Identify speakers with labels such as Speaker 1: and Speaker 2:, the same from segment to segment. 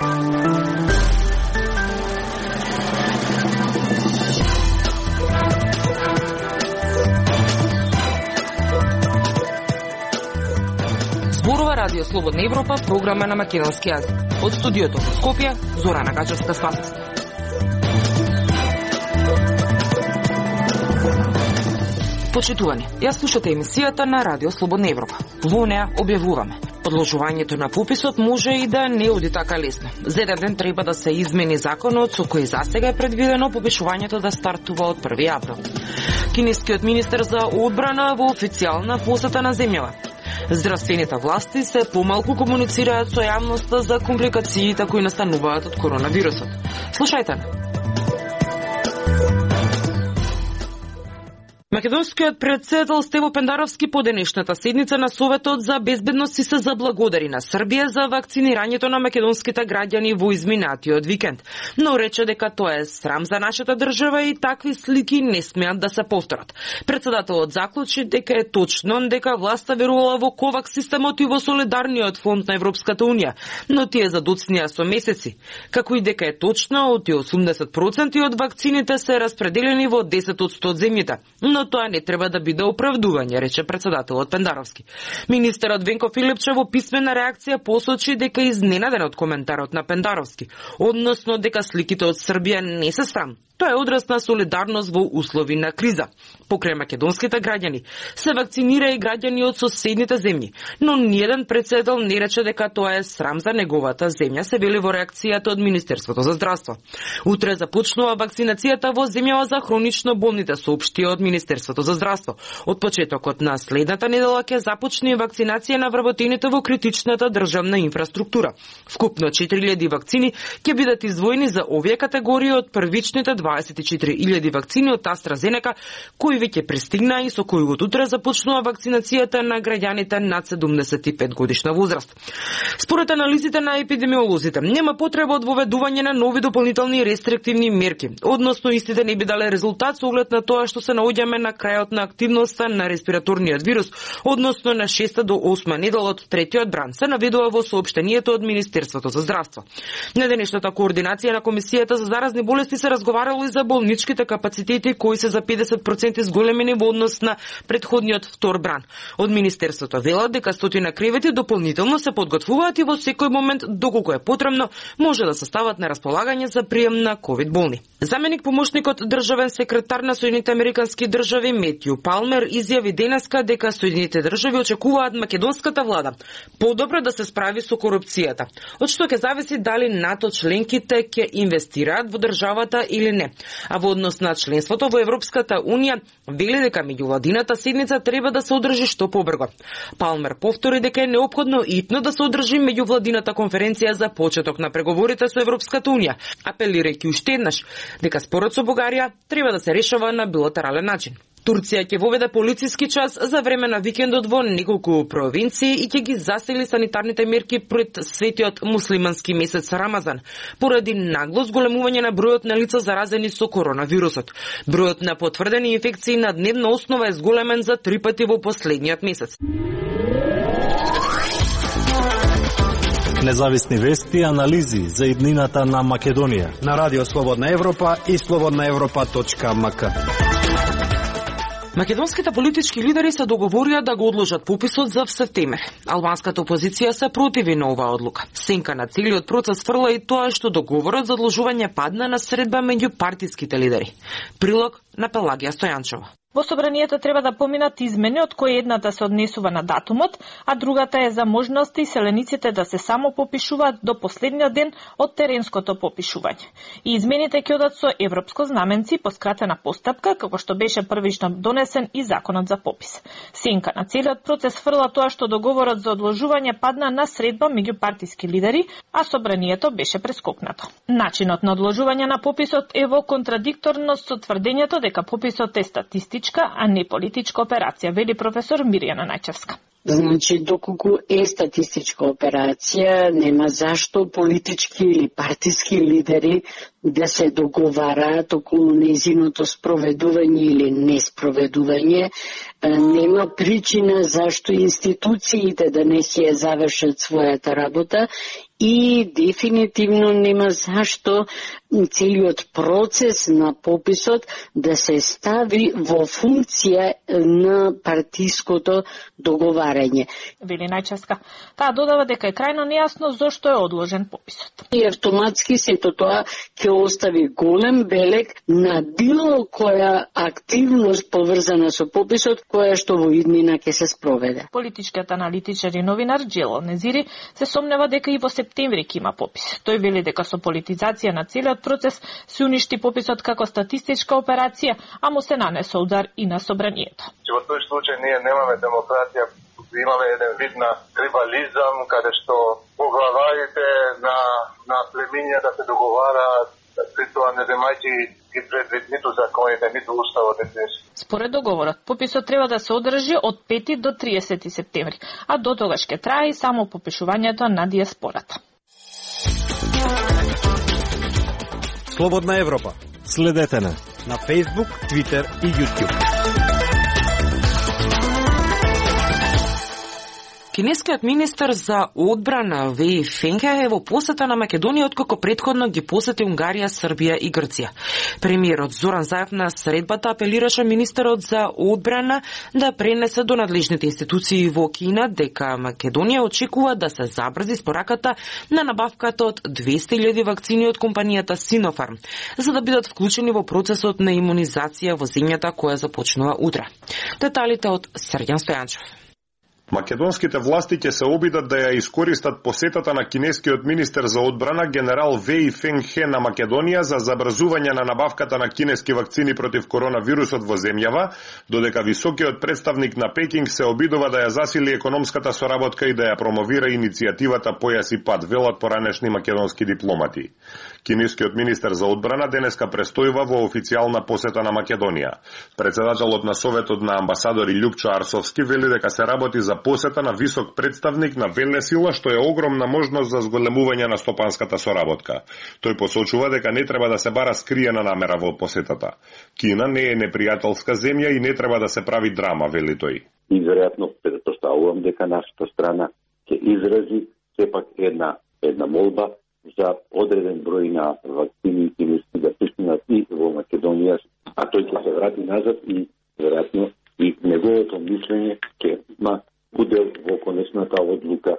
Speaker 1: Зборува Радио Слободна Европа, програма на македонски јазик. Од студиото во Скопје, Зорана Гачевска-Спасовска. Почитувани, ја слушате емисијата на Радио Слободна Европа. Во неа објавуваме: одложувањето на пописот може и да не оди така лесно. За еден ден треба да се измени законот со кој засега е предвидено попишувањето да стартува од 1 април. Кинескиот министер за одбрана во официјална посета на земјава. Здравствените власти се помалку комуницираат со јавноста за компликациите кои настануваат од коронавирусот. Слушајте. Македонскиот претседател Стево Пендаровски по денешната седница на Советот за безбедност се заблагодари на Србија за вакцинирањето на македонските граѓани во изминатиот викенд, но рече дека тоа е срам за нашата држава и такви слики не смеат да се повторат. Претседателот заклучи дека е точно дека власта верувала во ковакс системот и во солидарниот фонд на Европската унија, но тие задоцнија со месеци, како и дека е точно од 80% од вакцините се распределени во 10 од 100 земјите. Но тоа не треба да биде оправдување, рече претседателот Пендаровски. Министерот Венко Филипче во писмена реакција посочи дека е изненаден од коментарот на Пендаровски, односно дека сликите од Србија не се срам. Тоа е одраз на солидарност во услови на криза. Покрај македонските граѓани се вакцинира и граѓани од соседните земји, но ниеден претседател не рече дека тоа е срам за неговата земја, се вели во реакцијата од Министерството за здравство. Утре започнува вакцинацијата во земјава за хронично болните, соопшти од Министерството за здравство. Од почетокот на следната недела ќе започне вакцинација на вработените во критичната државна инфраструктура. Вкупно 4000 вакцини ќе бидат издвоени за овие категории од првичните 24.000 вакцини од AstraZeneca, кои веќе пристигнаа и со кои од утре започнува вакцинацијата на граѓаните над 75 годишна возраст. Според анализите на епидемиолозите, нема потреба од воведување на нови дополнителни рестриктивни мерки, односно истите не би дале резултат со оглед на тоа што се наоѓаме на крајот на активноста на респираторниот вирус, односно на 6 до 8 недела од третиот бран, се наведува во соопштението од Министерството за здравство. На денешната координација на Комисијата за заразни болести се разговарало и за болничките капацитети кои се за 50% зголемени во однос на претходниот втор бран. Од Министерството велат дека 100 кревети дополнително се подготвуваат и во секој момент, доколку е потребно, може да се стават на располагање за прием на ковид болни. Заменик помошникот државен секретар на Соединените Американски држави Метју Палмер изјави денеска дека Соединените држави очекуваат македонската влада подобро да се справи со корупцијата, од што ќе зависи дали НАТО членките ќе инвестираат во државата или не. А во однос на членството во Европската унија, вели дека меѓувладината седница треба да се одржи што побрзо. Палмер повтори дека е неопходно итно да се одржи меѓувладината конференција за почеток на преговорите со Европската унија, апелирајќи уште еднаш дека спорот со Бугарија треба да се решава на билатерален начин. Турција ќе воведе полициски час за време на викендот во неколку провинции и ќе ги засили санитарните мерки пред светиот муслимански месец Рамазан, поради нагло зголемување на бројот на лица заразени со коронавирусот. Бројот на потврдени инфекции на дневна основа е зголемен за 3 пати во последниот месец.
Speaker 2: Независни вести и анализи за иднината на Македонија
Speaker 3: на Радио Слободна Европа и slobodnaevropa.mk.
Speaker 1: Македонските политички лидери се договорија да го одложат пописот за септември. Албанската опозиција се противи на оваа одлука. Сенка на целиот процес фрла и тоа што договорот за одложување падна на средба меѓу партиските лидери. Прилог на Пелагија Стојанчова.
Speaker 4: Во собранието треба да поминат измени од кои едната се однесува на датумот, а другата е за можности селениците да се само попишуваат до последниот ден од теренското попишување. И измените ќе одат со европско знаменци по скратена постапка, како што беше првично донесен и законот за попис. Сенка на целиот процес фрла тоа што договорот за одложување падна на средба меѓу партиски лидери, а собранието беше прескокнато. Начинот на одложување на пописот е во контрадикторност со тврдењето дека пописот е статистичка, а не политичка операција, вели професор Мирјана Најчевска.
Speaker 5: Значи, доколку е статистичка операција, нема зашто политички или партиски лидери да се договараат околу нејзиното спроведување или неспроведување. Нема причина зашто институциите да не си ја завршат својата работа и дефинитивно нема зашто целиот процес на пописот да се стави во функција на партиското договарање.
Speaker 4: Вели Најчевска. Таа додава дека е крајно нејасно зошто е одложен пописот.
Speaker 5: И автоматски сето тоа ќе остави голем белег на било која активност поврзана со пописот, која што во иднина ќе се спроведе.
Speaker 4: Политичкиот аналитичар и новинар Джело Незири се сомнева дека и во септември ќе има попис. Тој вели дека со политизација на целиот процес се уништи пописот како статистичка операција, а му се нанесе удар и на собранието.
Speaker 6: Во тој случај ние немаме демократија, имаме еден вид на трибализам, каде што поглаварите на племиња да се договараат, при тоа не земајќи ги предвид ниту законите, ниту уставот.
Speaker 4: Според договорот, пописот треба да се одржи од 5 до 30 септември, а до тогаш ќе трае и само попишувањето на диаспората.
Speaker 3: Слободна Европа.
Speaker 2: Следете на
Speaker 3: Facebook, Twitter и YouTube.
Speaker 1: Кинескиот министер за одбрана Веј Фенхе е во посета на Македонија откако претходно ги посети Унгарија, Србија и Грција. Премиерот Зоран Заев на средбата апелираше министерот за одбрана да пренесе до надлежните институции во Кина дека Македонија очекува да се забрзи спораката на набавката од 200.000 вакцини од компанијата Синофарм, за да бидат вклучени во процесот на имунизација во земјата која започнува утре. Деталите од Сергјан Стојанчев.
Speaker 7: Македонските власти ќе се обидат да ја искористат посетата на кинескиот министер за одбрана генерал Веј Фенхе на Македонија за забрзување на набавката на кинески вакцини против коронавирусот во земјава, додека високиот представник на Пекинг се обидува да ја засили економската соработка и да ја промовира иницијативата Појас и пат, велат поранешни македонски дипломати. Кинескиот министер за одбрана денеска престојува во официјална посета на Македонија. Председателот на Советот на амбасадори Љупчо Арсовски вели дека се работи за посета на висок представник на велесила, што е огромна можност за зголемување на стопанската соработка. Тој посочува дека не треба да се бара скриена намера во посетата. Кина не е непријателска земја и не треба да се прави драма, вели тој.
Speaker 8: И веројатно претпоставувам дека нашата страна ќе изрази сепак една молба за одреден број на вакцини кинески да пристигнат и во Македонија, а тој ќе се врати назад и веројатно и неговото мислење ќе има удел во конечната одлука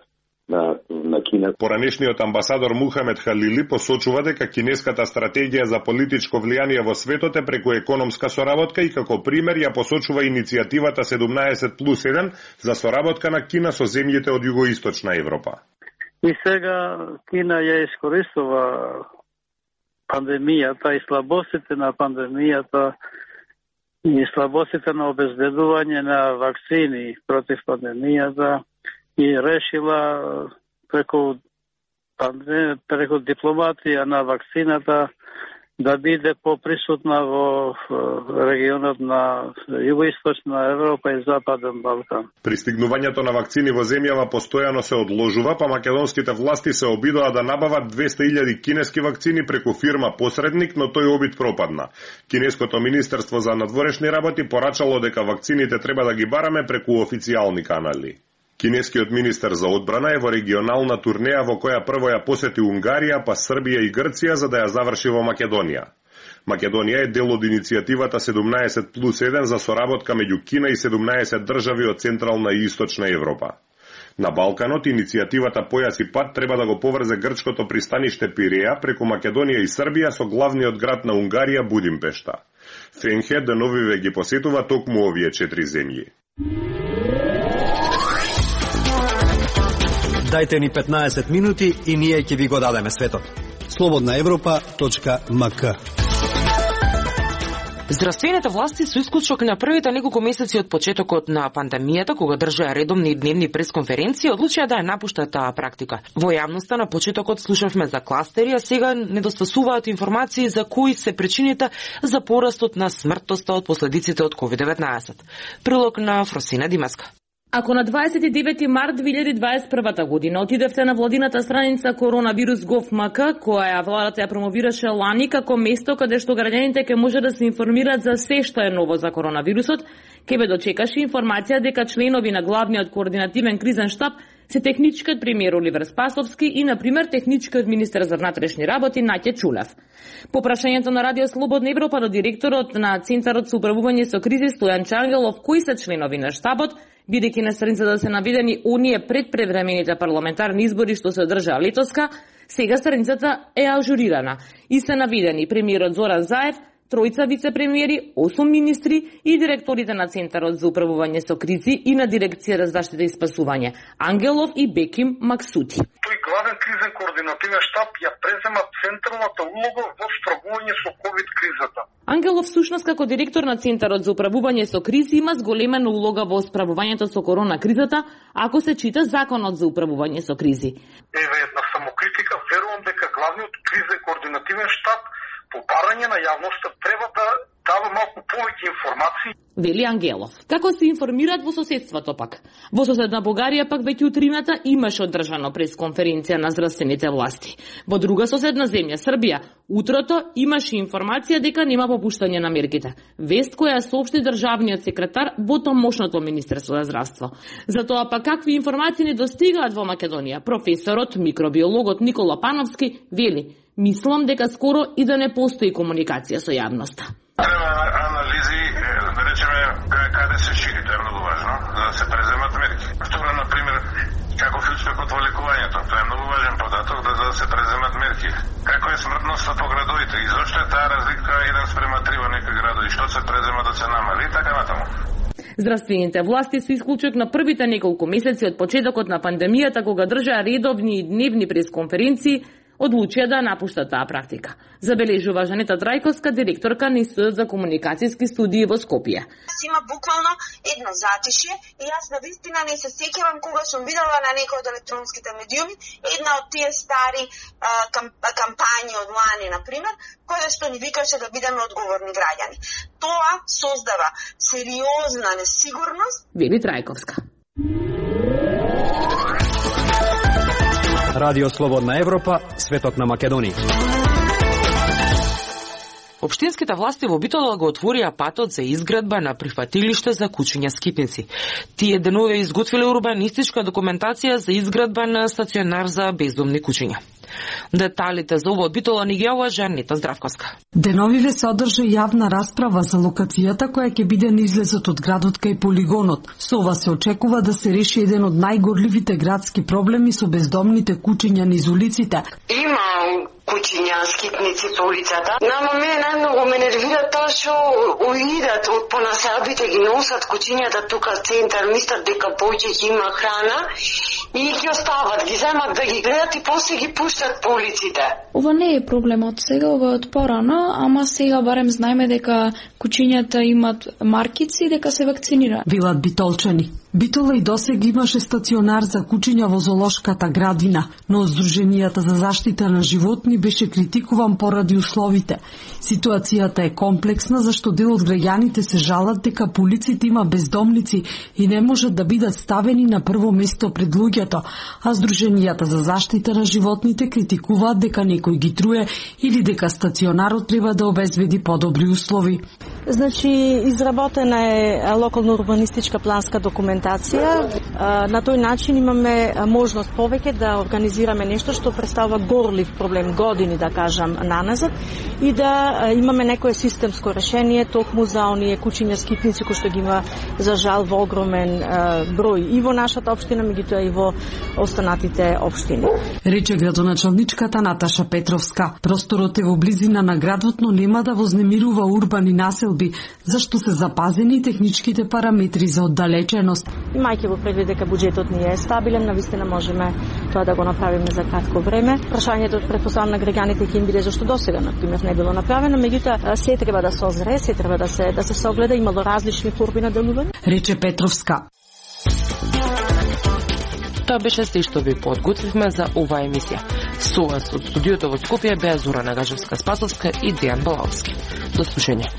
Speaker 8: на Кина.
Speaker 7: Поранешниот амбасадор Мухамед Халили посочува дека кинеската стратегија за политичко влијание во светот е преку економска соработка и како пример ја посочува иницијативата 17+1 за соработка на Кина со земјите од југоисточна Европа.
Speaker 9: И сега Кина ја искористува пандемијата и слабостите на пандемијата и слабостите на обезбедување на вакцини против пандемијата и решила преку дипломатија на вакцината да биде поприсутна во регионот на Југоисточна Европа и Западен Балкан.
Speaker 7: Пристигнувањето на вакцини во земјава постојано се одложува, па македонските власти се обидоа да набават 200.000 кинески вакцини преку фирма посредник, но тој обид пропадна. Кинеското министерство за надворешни работи порачало дека вакцините треба да ги бараме преку официјални канали. Кинескиот министер за одбрана е во регионална турнеја во која прво ја посети Унгарија, па Србија и Грција за да ја заврши во Македонија. Македонија е дел од иницијативата 17+1 за соработка меѓу Кина и 17 држави од Централна и Источна Европа. На Балканот иницијативата Појас и пат треба да го поврзе грчкото пристаниште Пиреја преку Македонија и Србија со главниот град на Унгарија Будимпешта. Фенхе деновиве ги посетува токму овие 4 земји.
Speaker 3: Дајте ни 15 минути и ние ќе ви го дадеме светот. slobodnaevropa.mk.
Speaker 1: Здравствените власти со исклучок на првите неколку месеци од почетокот на пандемијата, кога држаа редовни дневни пресконференции, одлучија да ја напуштат таа практика. Во јавноста на почетокот слушавме за кластери, а сега недостасуваат информации за кои се причините за порастот на смртноста од последиците од COVID-19. Прилог на Фросина Димаска.
Speaker 10: Ако на 29 март 2021 година отидевте на владината страница Коронавирус.gov.mk, која владата ја промовираше лани како место каде што граѓаните ќе може да се информираат за се што е ново за коронавирусот, ќе ве дочекаше информација дека членови на главниот координативен кризен штаб се техничкиот премиер Оливер Спасовски и, например, техничкиот министер за внатрешни работи Наќа Чулев. По прашањето на Радио Слободна Европа до директорот на Центарот за управување со кризи Стојан Чангелов, кои се членови на штабот, бидејќи на страницата се наведени оние предпревремените парламентарни избори што се одржаа летоска, сега страницата е ажурирана и се наведени премиерот Зоран Заев, тројца вице-премиери, 8 министри и директорите на Центарот за управување со кризи и на Дирекцијата за заштита и спасување Ангелов и Беким Максути.
Speaker 6: Тој главен кризен координативен штаб ја презема централната улога во справување со ковид кризата.
Speaker 10: Ангелов всушност како директор на Центарот за управување со кризи има зголемена улога во справувањето со корона кризата, ако се чита Законот за управување со кризи.
Speaker 6: Еве една самокритика, верувам дека главниот кризен координативен штаб по барање на јавноста треба да дава малку повеќе информации.
Speaker 10: Вели Ангелов. Како се информираат во соседството пак? Во соседна Бугарија пак веќе утрината имаше одржано пресконференција на здравствените власти. Во друга соседна земја, Србија, утрото имаше информација дека нема попуштање на мерките. Вест која соопшти државниот секретар во тамошното Министерство за здравство. Затоа пак какви информации не достигаат во Македонија? Професорот, микробиологот Никола Пановски вели: мислам дека скоро и да не постои комуникација со јавноста.
Speaker 6: Треба анализи, да речеме, каде се шири, тоа е многу важно, за да се преземат мерки. Второ, например, како е успехот во лекувањето, тоа е многу важен податок, да се преземат мерки. Како е смртноста по градовите и зошто е таа разлика 1:3 во некои градови, што се презема да се намали, така натаму.
Speaker 10: Здравствените власти се исклучок на првите неколку месеци од почетокот на пандемијата, кога држаа редовни и дневни пресконференции, одлучија да напуштат таа практика. Забележува Жанета Трајковска, директорка на Институтот за комуникацијски студии во Скопје.
Speaker 11: Има буквално едно затишје и јас навистина не се сеќавам кога сум видела на некој од електронските медиуми една од тие стари кампањи од лани, например, која што ни викаше да бидеме одговорни граѓани. Тоа создава сериозна несигурност.
Speaker 10: Вели Трајковска.
Speaker 3: Радио Слободна Европа, светот на Македонија.
Speaker 1: Општинските власти во Битола го отворија патот за изградба на прифатилиште за кучиња скитници. Тие денове изготвиле урбанистичка документација за изградба на стационар за бездомни кучиња. Деталите за ова од Битола ни ги јавува Жанета Здравковска.
Speaker 12: Деновиве се одржа јавна расправа за локацијата која ќе биде на излезот од градот кај полигонот. Со ова се очекува да се реши еден од најгорливите градски проблеми со бездомните кучиња низ улиците.
Speaker 5: Има кучиња скитници по улицата. Нама мене најмногу ме нервира тоа што уидат од понаселбите, ги носат кучињата тука центар, мислат дека повеќе има храна и ги остават, ги земат да ги гледат и после ги пуштат по улиците.
Speaker 13: Ова не е проблем од сега, ова е од порано, ама сега барем знаеме дека кучињата имат маркици и дека се вакцинираат.
Speaker 12: Велат битолчани. Битола и досега имаше стационар за кучиња во зоолошката градина, но од Сдруженијата за заштита на животни беше критикуван поради условите. Ситуацијата е комплексна зашто дел од граѓаните се жалат дека по улиците има бездомници и не можат да бидат ставени на прво место пред луѓето, а Сдруженијата за заштита на животните критикуваат дека некој ги труе или дека стационарот треба да обезбеди подобри услови.
Speaker 14: Значи, изработена е локална урбанистичка планска документација. На тој начин имаме можност повеќе да организираме нешто што представува горлив проблем години, да кажам, наназад и да имаме некое системско решение токму за оние кучиња скитници кои што ги има за жал во огромен број и во нашата општина, меѓутоа и во останатите општини.
Speaker 12: Рече градоначалничката Наташа Петровска. Просторот е во близина на градот, но нема да вознемирува урбани населби, зашто се запазени техничките параметри за оддалеченост.
Speaker 14: Имајќи во предвид дека буџетот ни е стабилен, навистина можеме тоа да го направиме за кратко време. Прашањето претпоставам на граѓаните ќе им биде зашто досега например не било направено, меѓутоа се треба да се озре, се треба да се согледа, имало различни форми на делување.
Speaker 12: Рече Петровска.
Speaker 1: Тоа беше се што ви подготвивме за оваа емисија. Со вас од студиото во Скопје беа Зора Нагажевска-Спасовска и Дејан Балаовски. До слушање.